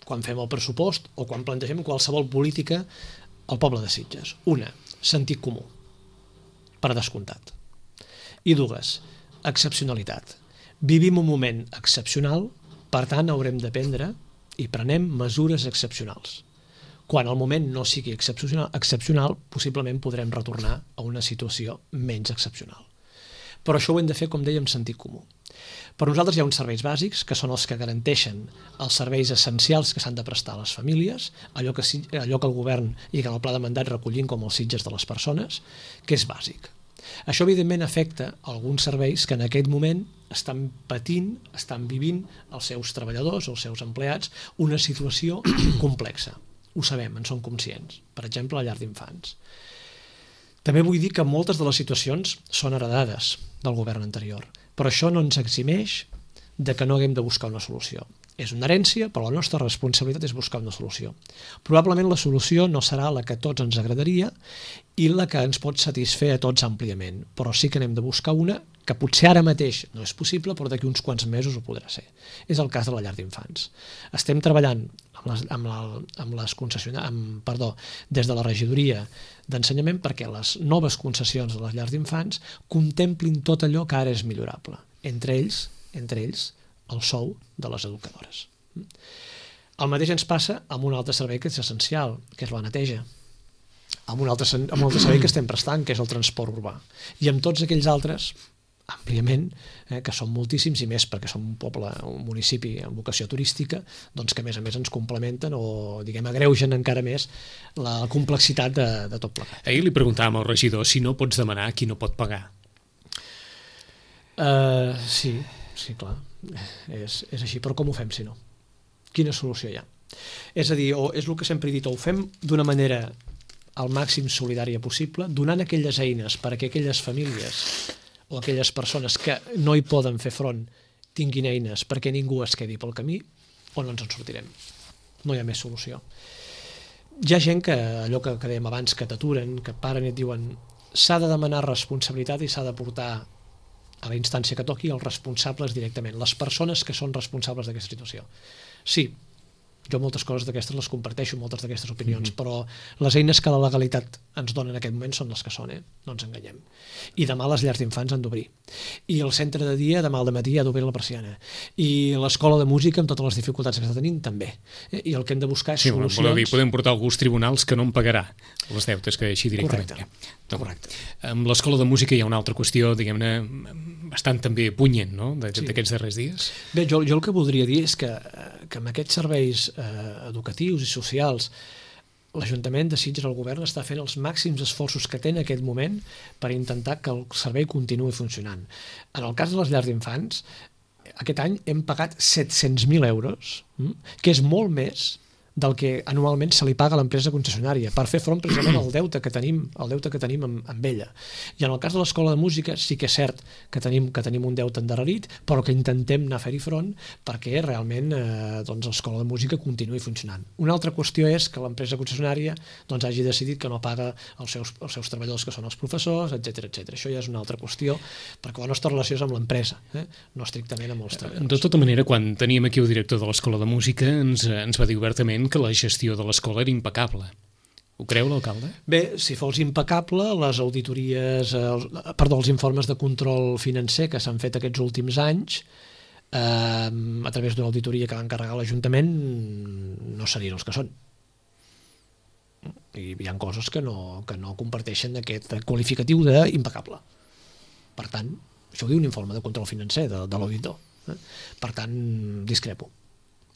Quan fem el pressupost o quan plantegem qualsevol política al poble de Sitges. Una, sentit comú, per descomptat. I dues, excepcionalitat. Vivim un moment excepcional, per tant haurem de prendre i prenem mesures excepcionals. Quan el moment no sigui excepcional, excepcional, possiblement podrem retornar a una situació menys excepcional. Però això ho hem de fer, com deia, amb sentit comú. Per nosaltres hi ha uns serveis bàsics, que són els que garanteixen els serveis essencials que s'han de prestar a les famílies, allò que, allò que el govern i que en el pla de mandat recollim com els Sitges de les persones, que és bàsic. Això, evidentment, afecta alguns serveis que en aquest moment estan patint, estan vivint els seus treballadors, els seus empleats, una situació complexa. Ho sabem, en som conscients. Per exemple, la llar d'infants. També vull dir que moltes de les situacions són heredades del govern anterior, però això no ens eximeix de que no haguem de buscar una solució. És una herència, però la nostra responsabilitat és buscar una solució. Probablement la solució no serà la que a tots ens agradaria i la que ens pot satisfer a tots àmpliament, però sí que n'hem de buscar una que potser ara mateix no és possible, però d'aquí uns quants mesos ho podrà ser. És el cas de la llar d'infants. Estem treballant amb les, amb la, amb les concessionàries, amb, perdó, des de la regidoria d'ensenyament perquè les noves concessions de les llars d'infants contemplin tot allò que ara és millorable. Entre ells, entre ells, el sou de les educadores. El mateix ens passa amb un altre servei que és essencial, que és la neteja, amb un altre, amb un altre servei que estem prestant, que és el transport urbà, i amb tots aquells altres, àmpliament, eh, que són moltíssims i més perquè som un poble, un municipi amb vocació turística, doncs que a més a més ens complementen o, diguem, agreugen encara més la complexitat de, de tot plegat. Ahir li preguntàvem al regidor si no pots demanar qui no pot pagar. Uh, sí, sí, clar. És, és així, però com ho fem si no? Quina solució hi ha? És a dir, o és el que sempre he dit, o ho fem d'una manera al màxim solidària possible, donant aquelles eines perquè aquelles famílies o aquelles persones que no hi poden fer front tinguin eines perquè ningú es quedi pel camí, o no ens en sortirem. No hi ha més solució. Hi ha gent que, allò que, que dèiem abans, que t'aturen, que paren i et diuen s'ha de demanar responsabilitat i s'ha de portar a la instància que toqui els responsables directament, les persones que són responsables d'aquesta situació. Sí, jo moltes coses d'aquestes les comparteixo, moltes d'aquestes opinions, mm-hmm. però les eines que la legalitat ens dona en aquest moment són les que són, eh? No ens enganyem. I demà les llars d'infants han d'obrir. I el centre de dia, demà al dematí, ha d'obrir la persiana. I l'escola de música, amb totes les dificultats que està tenint, també. Eh? I el que hem de buscar és sí, solucions... Voleu dir, podem portar algú als tribunals que no en pagarà les deutes, que així directament. Correcte. No, Correcte. Amb l'escola de música hi ha una altra qüestió, diguem-ne, bastant també punyent, no?, d'aquests sí. darrers dies. Bé, jo, jo el que voldria dir és que, que amb aquests serveis eh, educatius i socials l'Ajuntament de Sitges, el govern, està fent els màxims esforços que té en aquest moment per intentar que el servei continuï funcionant. En el cas de les llars d'infants, aquest any hem pagat set-cents mil euros, que és molt més del que anualment se li paga a l'empresa concessionària per fer front precisament al deute que tenim, el deute que tenim amb, amb ella. I en el cas de l'escola de música sí que és cert que tenim, que tenim un deute endarrerit, però que intentem anar a fer-hi front perquè realment eh, doncs l'escola de música continuï funcionant. Una altra qüestió és que l'empresa concessionària doncs, hagi decidit que no paga els seus, els seus treballadors, que són els professors, etcètera etcètera. Això ja és una altra qüestió, perquè la nostra relació és amb l'empresa, eh? no estrictament amb els treballadors. De tota manera, quan teníem aquí el director de l'escola de música, ens, ens va dir obertament que la gestió de l'escola era impecable. Ho creu l'alcalde? Bé, si fos impecable, les auditories, els, perdó, els informes de control financer que s'han fet aquests últims anys, eh, a través d'una auditoria que va encarregar l'Ajuntament, no serien els que són. I hi ha coses que no, que no comparteixen aquest qualificatiu d'impecable. Per tant, això ho diu un informe de control financer de, de l'auditor. Eh? Per tant, discrepo.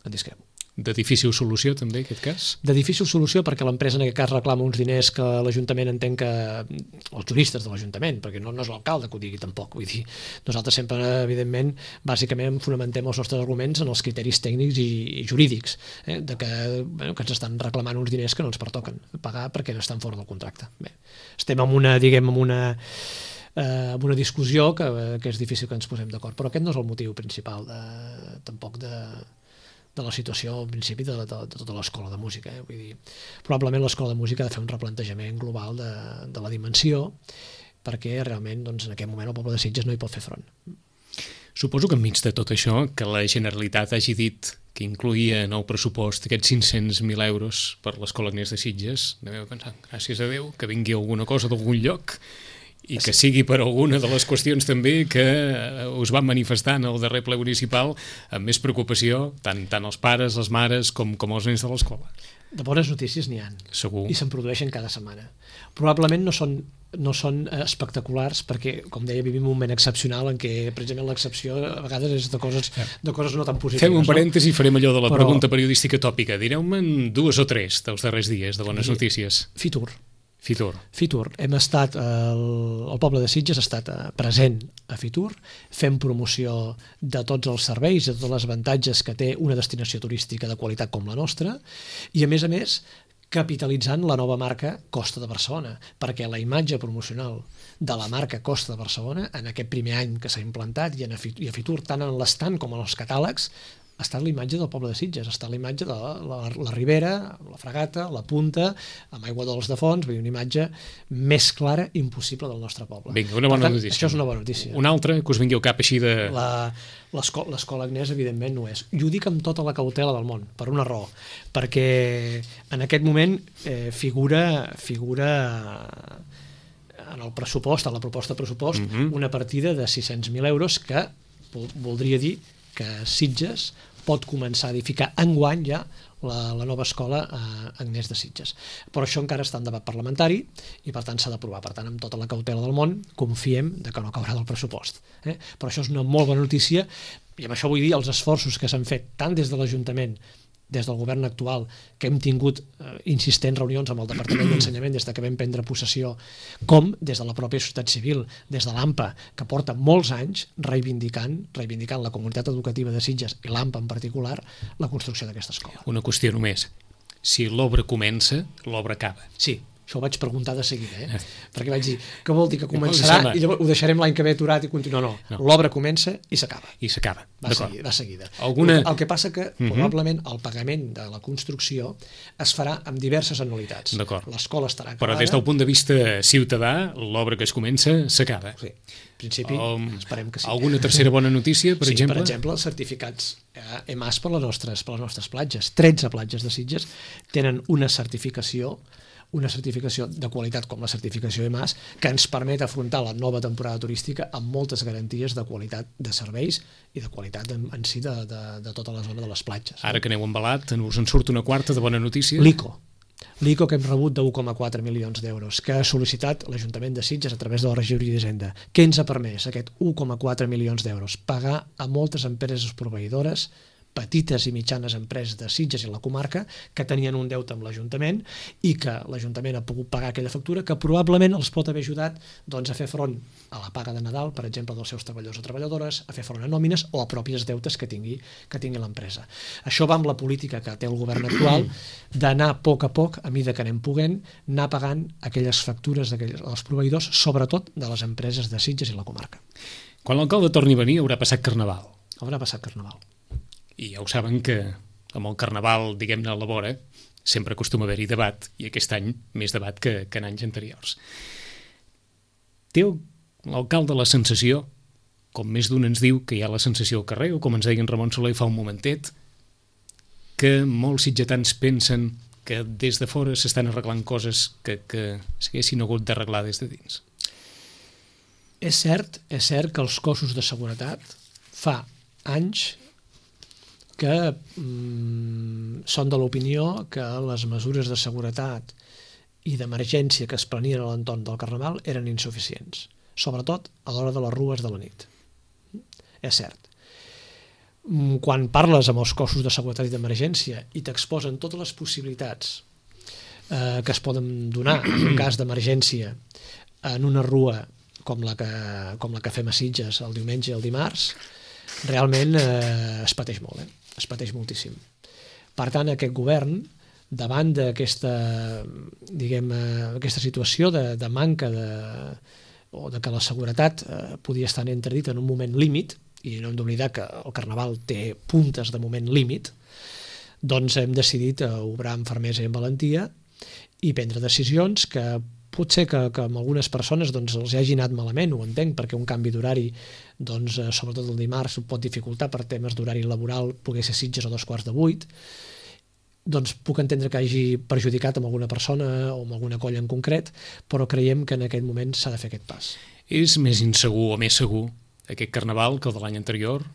discrepo. De difícil solució, també, en aquest cas? De difícil solució perquè l'empresa en aquest cas reclama uns diners que l'Ajuntament entén que... els juristes de l'Ajuntament, perquè no, no és l'alcalde que ho digui tampoc. Vull dir, nosaltres sempre, evidentment, bàsicament fonamentem els nostres arguments en els criteris tècnics i, i jurídics, eh? de que, bueno, que ens estan reclamant uns diners que no ens pertoquen pagar perquè estan fora del contracte. Bé, estem en una, diguem, en una... Eh, amb una discussió que, que és difícil que ens posem d'acord, però aquest no és el motiu principal de, tampoc de... de la situació, al principi, de, de, de tota l'escola de música. Eh? Vull dir, probablement l'escola de música ha de fer un replantejament global de, de la dimensió perquè realment doncs, en aquest moment el poble de Sitges no hi pot fer front. Suposo que enmig de tot això, que la Generalitat hagi dit que incluïa en el pressupost aquests cinc-cents mil euros per l'escola Agnès de Sitges, deveu pensar, gràcies a Déu, que vingui alguna cosa d'algun lloc i que sigui per alguna de les qüestions també que us van manifestar en el darrer ple municipal amb més preocupació, tant, tant els pares, les mares, com, com els nens de l'escola. De bones notícies n'hi ha. Segur. I se'n produeixen cada setmana. Probablement no són, no són espectaculars perquè, com deia, vivim un moment excepcional en què precisament l'excepció a vegades és de coses, de coses no tan positives. Fem un parèntesi i farem allò de la Però... pregunta periodística tòpica. Direu-me'n dues o tres dels darrers dies de bones notícies. Fitur. Fitur. Fitur. Hem estat, el, el poble de Sitges ha estat present a Fitur, fent promoció de tots els serveis i de tots els avantatges que té una destinació turística de qualitat com la nostra, i a més a més capitalitzant la nova marca Costa de Barcelona, perquè la imatge promocional de la marca Costa de Barcelona en aquest primer any que s'ha implantat i, en, i a Fitur, tant en l'estand com en els catàlegs, ha estat l'imatge del poble de Sitges, ha estat l'imatge de la, la, la Ribera, la Fragata, la Punta, amb aigua dolç de fons, vull dir, una imatge més clara impossible del nostre poble. Vinga, una bona tant, notícia. Això és una bona notícia. Una altra que us vingui al cap així de... L'escola Agnès, evidentment, no és. I ho dic amb tota la cautela del món, per una raó, perquè en aquest moment eh, figura, figura en el pressupost, en la proposta de pressupost, mm-hmm. una partida de sis-cents mil euros que voldria dir que Sitges pot començar a edificar enguany ja la, la nova escola a Agnès de Sitges. Però això encara està en debat parlamentari i per tant s'ha d'aprovar. Per tant, amb tota la cautela del món, confiem de que no caurà del pressupost. Eh? Però això és una molt bona notícia i amb això vull dir els esforços que s'han fet tant des de l'Ajuntament des del govern actual, que hem tingut eh, insistents reunions amb el Departament d'Ensenyament des de que vam prendre possessió, com des de la pròpia societat civil, des de l'AMPA, que porta molts anys reivindicant, reivindicant la comunitat educativa de Sitges i l'AMPA en particular, la construcció d'aquesta escola. Una qüestió només. Si l'obra comença, l'obra acaba. Sí, això ho vaig preguntar de seguida, eh? perquè vaig dir, què vol dir que començarà i llavors ho deixarem l'any que ve aturat i continuar? No, no. L'obra comença i s'acaba. I s'acaba, va, seguir, va seguida. Alguna... El que passa que uh-huh. probablement el pagament de la construcció es farà amb diverses anualitats. L'escola estarà acabada. Però des del punt de vista ciutadà, l'obra que es comença s'acaba. Sí, en principi um, esperem que sí. Alguna tercera bona notícia, per sí, exemple? Per exemple, els certificats E M A S per les nostres, per les nostres platges. tretze platges de Sitges tenen una certificació una certificació de qualitat com la certificació E M A S que ens permet afrontar la nova temporada turística amb moltes garanties de qualitat de serveis i de qualitat en, en si de, de, de tota la zona de les platges. Ara que aneu embalat, us en surt una quarta de bona notícia? L'I C O. L'I C O que hem rebut de u coma quatre milions d'euros, que ha sol·licitat l'Ajuntament de Sitges a través de la regidoria d'Hisenda. Què ens ha permès aquest u coma quatre milions d'euros? Pagar a moltes empreses proveïdores, petites i mitjanes empreses de Sitges i la comarca que tenien un deute amb l'Ajuntament i que l'Ajuntament ha pogut pagar aquella factura que probablement els pot haver ajudat doncs, a fer front a la paga de Nadal, per exemple, dels seus treballadors o treballadores, a fer front a nòmines o a pròpies deutes que tingui, que tingui l'empresa. Això va amb la política que té el govern actual d'anar a poc a poc, a mida que anem poguent, anar pagant aquelles factures dels proveïdors, sobretot de les empreses de Sitges i la comarca. Quan l'alcalde torni a venir haurà passat Carnaval. Haurà passat Carnaval. I ja ho saben que amb el Carnaval, diguem-ne, a la vora, sempre acostuma a haver-hi debat, i aquest any més debat que, que en anys anteriors. Té l'alcalde la sensació, com més d'un ens diu que hi ha la sensació al carrer, o com ens deia en Ramon Soler fa un momentet, que molts sitgetans pensen que des de fora s'estan arreglant coses que, que s'haguessin hagut d'arreglar des de dins. És cert, és cert que els cossos de seguretat fa anys que mm, són de l'opinió que les mesures de seguretat i d'emergència que es prenien a l'entorn del Carnaval eren insuficients, sobretot a l'hora de les rues de la nit. És cert. Quan parles amb els cossos de seguretat i d'emergència i t'exposen totes les possibilitats eh, que es poden donar en un cas d'emergència en una rua com la que, com la que fem a Sitges el diumenge i el dimarts, realment eh, es pateix molt, eh? es pateix moltíssim. Per tant, aquest govern, davant d'aquesta, diguem, aquesta situació de, de manca de, o de que la seguretat eh, podia estar en entredit en un moment límit, i no hem d'oblidar que el Carnaval té puntes de moment límit, doncs hem decidit obrar amb fermesa i amb valentia i prendre decisions que potser que, que amb algunes persones doncs, els hagi anat malament, ho entenc, perquè un canvi d'horari, doncs, sobretot el dimarts, ho pot dificultar per temes d'horari laboral, poder ser Sitges a dos quarts de vuit, doncs puc entendre que hagi perjudicat amb alguna persona o amb alguna colla en concret, però creiem que en aquest moment s'ha de fer aquest pas. És més insegur o més segur aquest Carnaval que el de l'any anterior?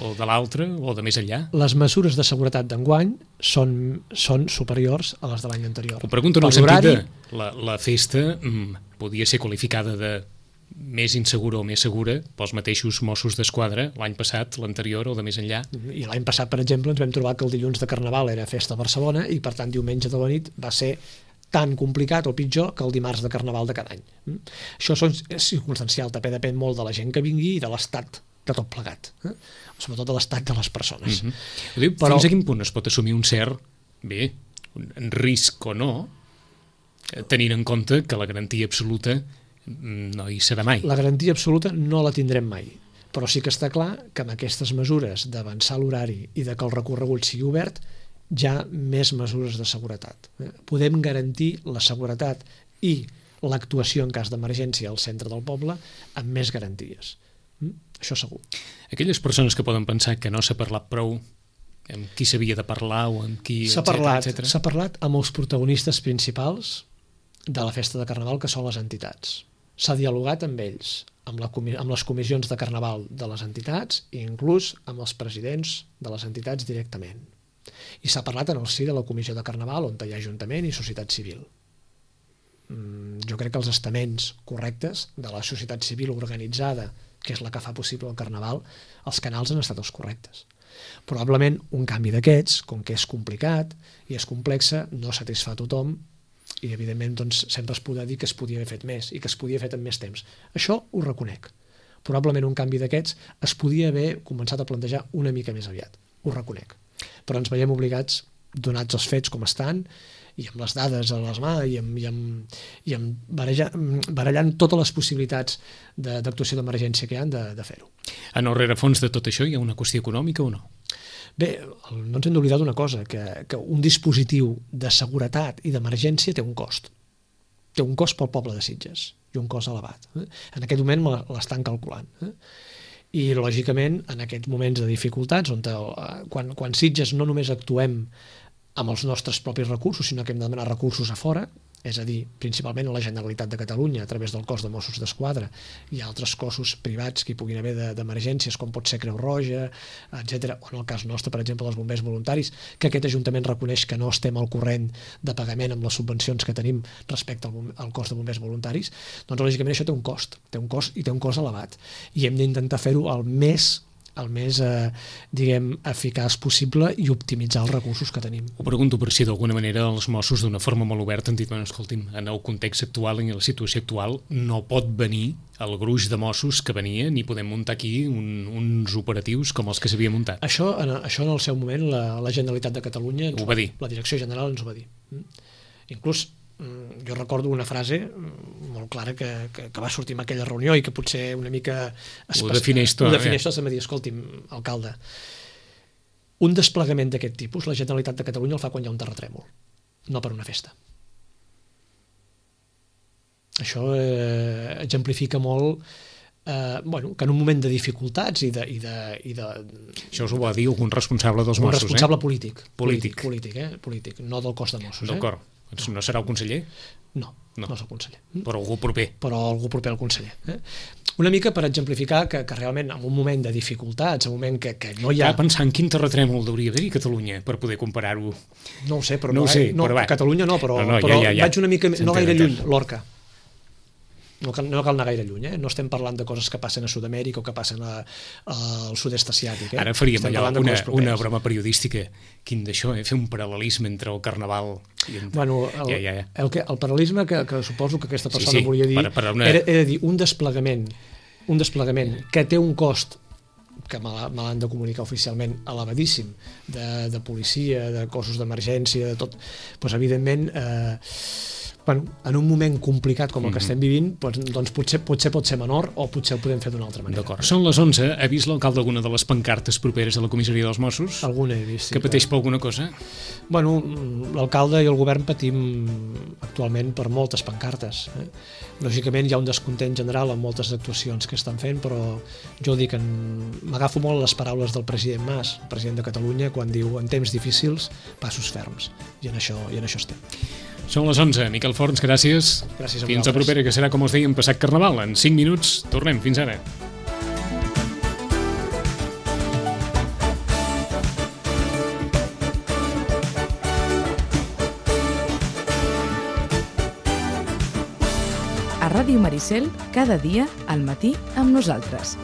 O de l'altre, o de més enllà? Les mesures de seguretat d'enguany són, són superiors a les de l'any anterior. Ho pregunto en el sentit de la, la festa mm, podia ser qualificada de més insegura o més segura pels mateixos Mossos d'Esquadra l'any passat, l'anterior o de més enllà. I l'any passat, per exemple, ens vam trobar que el dilluns de Carnaval era festa a Barcelona i per tant diumenge de la nit va ser tan complicat o pitjor que el dimarts de Carnaval de cada any. Això és circumstancial, també depèn molt de la gent que vingui i de l'estat de tot plegat, eh? Sobretot de l'estat de les persones. Mm-hmm. Diu, però... Fins a quin punt es pot assumir un cert, bé, un risc o no, tenint en compte que la garantia absoluta no hi serà mai? La garantia absoluta no la tindrem mai, però sí que està clar que amb aquestes mesures d'avançar l'horari i de que el recorregut sigui obert, hi ha més mesures de seguretat. Podem garantir la seguretat i l'actuació en cas d'emergència al centre del poble amb més garanties. Això segur. Aquelles persones que poden pensar que no s'ha parlat prou amb qui s'havia de parlar o amb qui... S'ha parlat, s'ha parlat amb els protagonistes principals de la festa de Carnaval, que són les entitats. S'ha dialogat amb ells, amb, la, amb les comissions de Carnaval de les entitats i inclús amb els presidents de les entitats directament. I s'ha parlat en el si de la comissió de Carnaval, on hi ha Ajuntament i societat civil. Jo crec que els estaments correctes de la societat civil organitzada, que és la que fa possible el Carnaval, els canals han estat els correctes. Probablement un canvi d'aquests, com que és complicat i és complexa, no satisfà a tothom i evidentment doncs, sempre es podrà dir que es podia haver fet més i que es podia haver fet en més temps. Això ho reconec. Probablement un canvi d'aquests es podia haver començat a plantejar una mica més aviat, ho reconec. Però ens veiem obligats, donats els fets com estan, i amb les dades a les mà i amb, i amb, i amb barallant, barallant totes les possibilitats d'actuació d'emergència que hi ha de, de fer-ho. En el rerefons de tot això hi ha una qüestió econòmica o no? Bé, no ens hem d'oblidar d'una cosa, que, que un dispositiu de seguretat i d'emergència té un cost. Té un cost pel poble de Sitges i un cost elevat. Eh? En aquest moment l'estan calculant. Eh? I, lògicament, en aquests moments de dificultats, on el, quan, quan Sitges no només actuem amb els nostres propis recursos, sinó que hem de demanar recursos a fora, és a dir, principalment a la Generalitat de Catalunya, a través del cos de Mossos d'Esquadra i altres cossos privats que hi puguin haver d'emergències, com pot ser Creu Roja, etcètera, o en el cas nostre, per exemple, els bombers voluntaris, que aquest Ajuntament reconeix que no estem al corrent de pagament amb les subvencions que tenim respecte al, al cos de bombers voluntaris, doncs lògicament això té un cost, té un cost i té un cost elevat, i hem d'intentar fer-ho el més el més, eh, diguem, eficaç possible i optimitzar els recursos que tenim. Ho pregunto per si d'alguna manera els Mossos d'una forma molt oberta han dit, bueno, escolti'm, en el context actual, en la situació actual, no pot venir el gruix de Mossos que venia ni podem muntar aquí un, uns operatius com els que s'havia muntat. Això en, això en el seu moment la, la Generalitat de Catalunya ho va dir. La Direcció General ens ho va dir. Inclús jo recordo una frase molt clara que, que, que va sortir en aquella reunió i que potser una mica ho defineix tot, ho defineix tot, em va dir, escolti'm, alcalde, un desplegament d'aquest tipus la Generalitat de Catalunya el fa quan hi ha un terratrèmol, no per una festa. Això eh, exemplifica molt eh, bueno, que en un moment de dificultats i de... I de, i de això us ho va dir algun responsable dels un Mossos, responsable eh? polític, Polític. Polític, polític, eh? polític, no del cos de Mossos. D'acord. Eh? No serà el conseller? No, no, no és el conseller. Però algú proper. Però algú proper al conseller. Eh? Una mica per exemplificar que, que realment en un moment de dificultats, en un moment que, que no hi ha... Estava pensant quin terratrèmol hauria d'haver a Catalunya per poder comparar-ho. No ho sé, però no, no, ho sé, no, però a Catalunya no, però, no, no, però ja, ja, ja. vaig una mica, no gaire lluny, Lorca. No cal, no cal anar gaire lluny, eh? No estem parlant de coses que passen a Sud-amèrica o que passen a, a, al sud-est asiàtic. Eh? Ara faríem allò, una, una broma periodística, quin d'això, eh? Fer un paral·lelisme entre el Carnaval i... En... Bueno, el, ja, ja, ja. El, que, el paral·lelisme que, que suposo que aquesta persona sí, sí, volia dir per, per una... era, era dir un desplegament, un desplegament que té un cost que me l'han de comunicar oficialment elevadíssim, de, de policia, de cossos d'emergència, de tot, doncs evidentment... Eh, bueno, en un moment complicat com el que mm-hmm. estem vivint, doncs, doncs potser, potser pot ser menor o potser ho podem fer d'una altra manera. D'acord. Són les onze. Ha vist l'alcalde alguna de les pancartes properes a la comissaria dels Mossos? Alguna he vist, sí. Que pateix per alguna cosa? Bueno, l'alcalde i el govern patim actualment per moltes pancartes. Eh? Lògicament hi ha un descontent general en moltes actuacions que estan fent, però jo dic, en... m'agafo molt les paraules del president Mas, el president de Catalunya, quan diu en temps difícils, passos ferms. I en això, i en això estem. Són les onze. Miquel Forns, gràcies. Gràcies a Fins a propera, que serà, com us dèiem, passat Carnaval. En cinc minuts tornem. Fins ara. A Ràdio Maricel, cada dia al matí amb nosaltres.